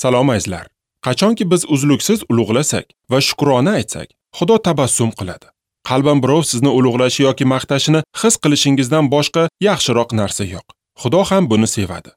Salom azizlar. Qachonki biz uzluksiz ulug'lasak va shukrona aytsak, Xudo tabassum qiladi. Qalban birov sizni ulug'lashi yoki maqtashini his qilishingizdan boshqa yaxshiroq narsa yo'q. Xudo ham buni sevadi.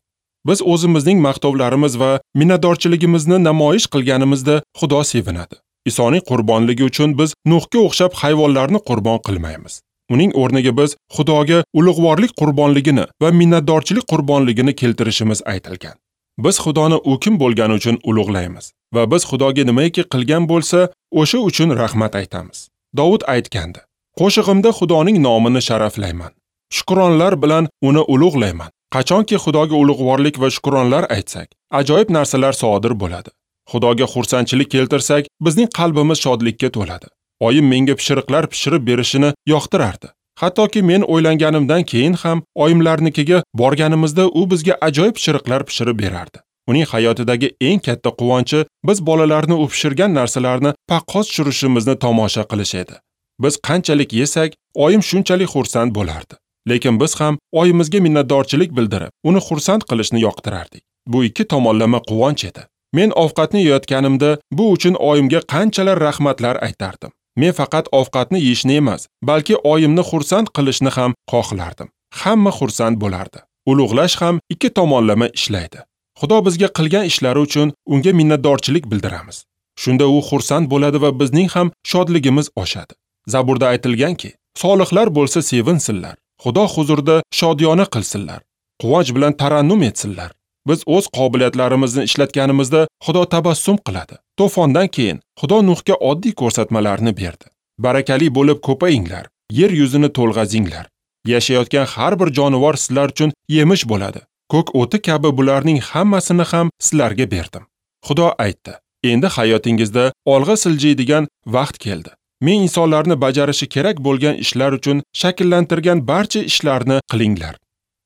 Biz o'zimizning maqtovlarimiz va minnatdorchiligimizni namoyish qilganimizda Xudo sevinadi. Isoning qurbonligi uchun biz Nuhga o'xshab hayvonlarni qurbon qilmaymiz. Uning o'rniga biz Xudoga ulug'vorlik qurbonligini va minnatdorchilik qurbonligini keltirishimiz aytilgan. Biz Xudoni u kim bo'lgani uchun ulug'laymiz va biz Xudoga nimaiki qilgan bo'lsa, o'sha uchun rahmat aytamiz. Dovud aytgandi: "Qo'shig'imda Xudoning nomini sharaflayman. Shukronlar bilan uni ulug'layman." Qachonki Xudoga ulug'vorlik va shukronlar aytsak, ajoyib narsalar sodir bo'ladi. Xudoga xursandchilik keltirsak, bizning qalbimiz shodlikka to'ladi. Oyim menga pishiriqlar pishirib berishini yoqtirardi. Hattoki men o'ylanganimdan keyin ham oyimlarnikiga borganimizda u bizga ajoyib pishiriqlar pishirib berardi. Uning hayotidagi eng katta quvonchi biz bolalarni u pishirgan narsalarni paqqos tushirishimizni tomosha qilish edi. Biz qanchalik yesak, oyim shunchalik xursand bo'lardi. Lekin biz ham oyimizga minnatdorchilik bildirib, uni xursand qilishni yoqtirardik. Bu ikki tomonlama quvonch edi. Men ovqatni yeyotganimda bu uchun oyimga qanchalar rahmatlar aytardim. Men faqat ovqatni yeyishni emas, balki oyimni xursand qilishni ham xohlardim. Hamma xursand bo'lardi. Ulug'lash ham ikki tomonlama ishlaydi. Xudo bizga qilgan ishlari uchun unga minnatdorchilik bildiramiz. Shunda u xursand bo'ladi va bizning ham shodligimiz oshadi. Zaburda aytilganki, solihlar bo'lsa sevinsinlar, Xudo huzurida shodiyona qilsinlar, quvonch bilan tarannum etsinlar. Biz o'z qobiliyatlarimizni ishlatganimizda Xudo tabassum qiladi. To'fondan keyin Xudo Nuhga oddiy ko'rsatmalarni berdi. Barakali bo'lib ko'payinglar, yer yuzini to'lg'azinglar. Yashayotgan har bir jonivor sizlar uchun yemish bo'ladi. Ko'k o'ti kabi bularning hammasini ham sizlarga berdim. Xudo aytdi: "Endi hayotingizda olg'a siljiydigan vaqt keldi. Men insonlarni bajarishi kerak bo'lgan ishlar uchun shakllantirgan barcha ishlarni qilinglar.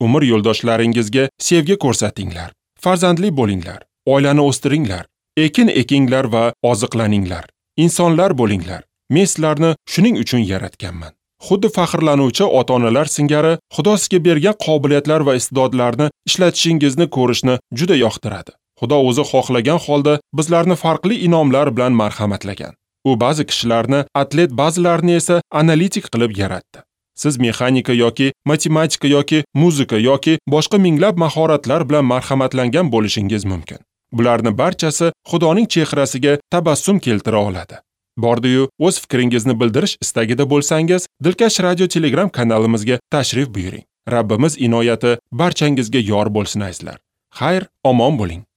Umr yo'ldoshlaringizga sevgi ko'rsatinglar, farzandli bo'linglar, oilani o'stiringlar, ekin ekinglar va oziqlaninglar. Insonlar bo'linglar. Men sizlarni shuning uchun yaratganman." Xuddi faxrlanuvchi ota-onalar singari Xudo sizga bergan qobiliyatlar va iste'dodlarni ishlatishingizni ko'rishni juda yoqtiradi. Xudo o'zi xohlagan holda bizlarni farqli inomlar bilan marhamatlagan. U ba'zi kishilarni atlet, ba'zilarini esa analitik qilib yaratdi. Siz mexanika yoki matematika yoki muzika yoki boshqa minglab mahoratlar bilan marhamatlangan bo'lishingiz mumkin. Bularni barchasi Xudoning chehrasiga tabassum keltira oladi. Bordi-yu, o'z fikringizni bildirish istagida bo'lsangiz, Dilkash Radio Telegram kanalimizga tashrif buyuring. Rabbimiz inoyati barchangizga yor bo'lsin azizlar. Xayr, omon bo'ling.